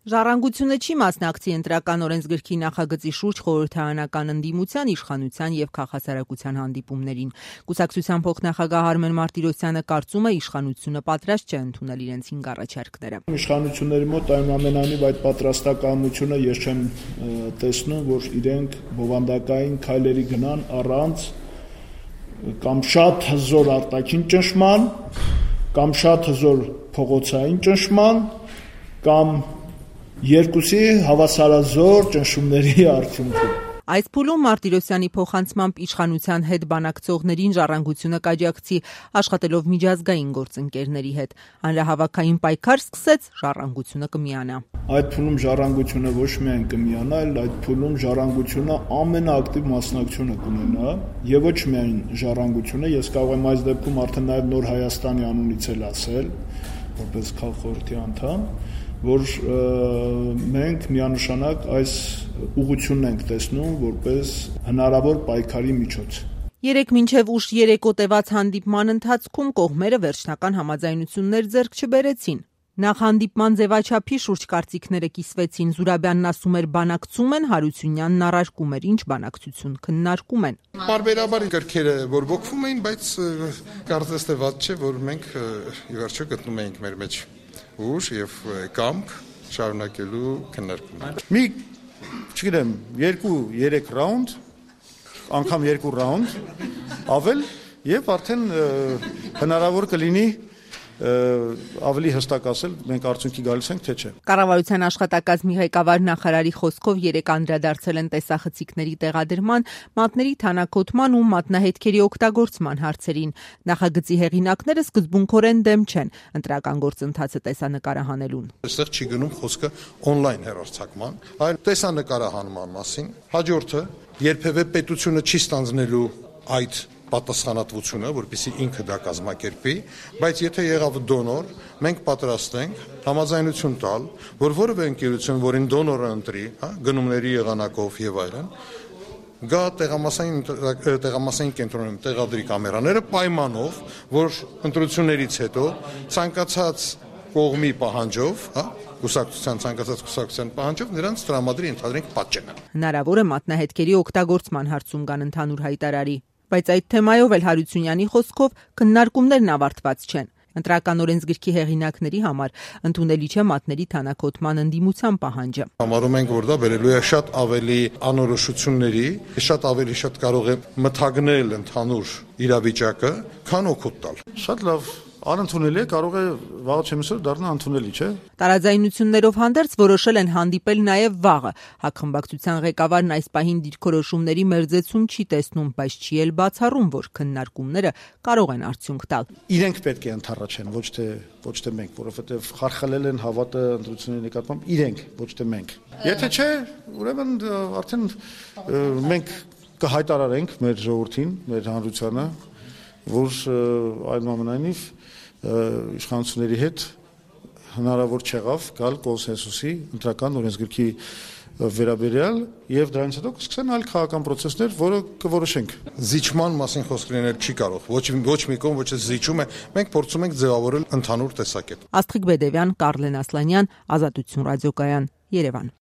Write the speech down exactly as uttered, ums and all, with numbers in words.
Ժառանգությունը չի մասնակցի ընտրական օրենսգրքի նախագծի շուրջ խորհրդարանական ընդդիմության, իշխանության եւ քաղաքասարակության հանդիպումներին։ Կուսակցության փոխնախագահ Արմեն Մարտիրոսյանը կարծում է, իշխանությունը պատրաստ չէ ընդունել իրենց հինգ առաջարկները։ Իշխանությունների մոտ այնուամենայնիվ այդ պատրաստակամությունը ես չեմ տեսնում, որ իրենք բովանդակային քայլերի գնան առանց կամ շատ հզոր արտաքին ճնշման, կամ շատ հզոր փողոցային ճնշման, կամ երկուսի հավասարազոր ճնշումների արդյունքում։ Այս փուլում Մարտիրոսյանի փոխանցմամբ իշխանության հետ բանակցողներին Ժառանգությունը կաջակցի, աշխատելով միջազգային գործընկերների հետ։ Հանրահավաքային պայքար սկսեց, Ժառանգությունը կմիանա։ Այդ փուլում Ժառանգությունը ոչ միայն կմիանա, այլ այդ փուլում Ժառանգությունը ամենաակտիվ մասնակցությունը կունենա, եւ ոչ միայն Ժառանգությունը, ես կարող եմ այս դեպքում արդեն նաեւ Նոր Հայաստանի անունից էլ ասել, որպես քաղխորհրդի անդամ, որ մենք միանշանակ այս ուղղությունն ենք տեսնում որպես հնարավոր պայքարի միջոց։ Երեկ մինչև ուշ երեկո տևած հանդիպման ընթացքում կողմերը վերջնական համաձայնություններ ձեռք չբերեցին։ Նախ հանդիպման ձևաչափի շուրջ կարծիքները կիսվեցին, Զուրաբյանն ասում էր բանակցում են, Հարությունյանն առարկում էր ինչ բանակցություն, քննարկում են։ Բարբերաբար գրքերը բորբոքվում էին, բայց կարծես թե վատ չէ, որ մենք ի վերջո գտնում էինք մեր մեջ ուժ եւ կամք շարունակելու քննարկումը։ Մի, չգիտեմ, երկու երեք ռաունդ, անգամ երկու ռաունդ, ավել եւ արդեն հնարավոր կլինի ավելի հստակ ասել, մենք արդյունքի գալիս ենք, թե չէ։ Կառավարության աշխատակազմի ղեկավար նախարարի խոսքով երեք անդրադարձել են տեսախցիկների տեղադրման, մատների թանաքոտման ու մատնահետքերի օգտագործման հարցերին։ Նախագծի հեղինակները սկզբունքորեն դեմ չեն ընտրական գործընթացը տեսանկարահանելուն։ Այստեղ չի գնում խոսքը օնլայն հեռարձակման, այլ տեսանկարահանման մասին։ Հաջորդը երբևէ պետությունը չի ստանձնելու այդ պատասխանատվությունը, որպեսզի ինքը դա կազմակերպի, բայց եթե եղավ դոնոր, մենք պատրաստ ենք համաձայնություն տալ, որ որևէ ընկերություն, որին դոնորը ընտրի, հա, գնումների եղանակով եւ այլն, գա տեղամասային տեղամասային կենտրոնում տեղադրի կամերաները պայմանով, որ ընտրություններից հետո ցանկացած կողմի պահանջով, հա, կուսակցության ցանկացած կուսակցության պահանջով նրանց տրամադրի ընդհանրենք պատճենը։ Հնարավոր է մատնահետքերի օգտագործման հարցում կան ընդհանուր հայտարարի, բայց այդ թեմայով էլ Հարությունյանի խոսքով քննարկումներն ավարտված չեն։ Ընտրական օրենսգրքի հեղինակների համար ընդունելի չէ մատների թանաքոտման ընդդիմության պահանջը։ Համարում ենք, որ դա բերելու է շատ ավելի անորոշությունների, շատ ավելի շատ կարող է մթագնել ընդհանուր իրավիճակը, քան օգուտ տալ։ Շատ լավ, անընդունելի է, կարող է վաղը չեմ ասել դառնա ընդունելի, չէ։ Տարաձայնություններով հանդերձ որոշել են հանդիպել նաև վաղը։ Հակխմբակցության ղեկավարն այս պահին դիրքորոշումների մերձեցում չի տեսնում, բայց չի էլ բացառում, որ քննարկումները կարող են արդյունք տալ։ Իրենք պետք է ընդառաջեն, ոչ թե ոչ թե մենք, որովհետև խարխլել են հավատը ընտրությունների նկատմամբ իրենք, ոչ թե մենք։ Եթե չէ, ուրեմն արդեն մենք կհայտարարենք մեր ժողովրդին, մեր հանրությանը, որ այնուամենայնիվ իշխանությունների հետ հնարավոր չեղավ գալ կոնսենսուսի ընտրական օրենսգրքի վերաբերյալ եւ դրանից հետո կսկսեն այլ քաղաքական process-ներ, որը կորոշենք։ Զիջման մասին խոսք լինել չի կարող։ Ոչ ոչ մի կողմ ոչ զիջում է, մենք փորձում ենք ձևավորել ընդհանուր տեսակետ։ Աստղիկ Բեդևյան, Կարլեն Ասլանյան, Ազատություն ռադիոկայան, Երևան։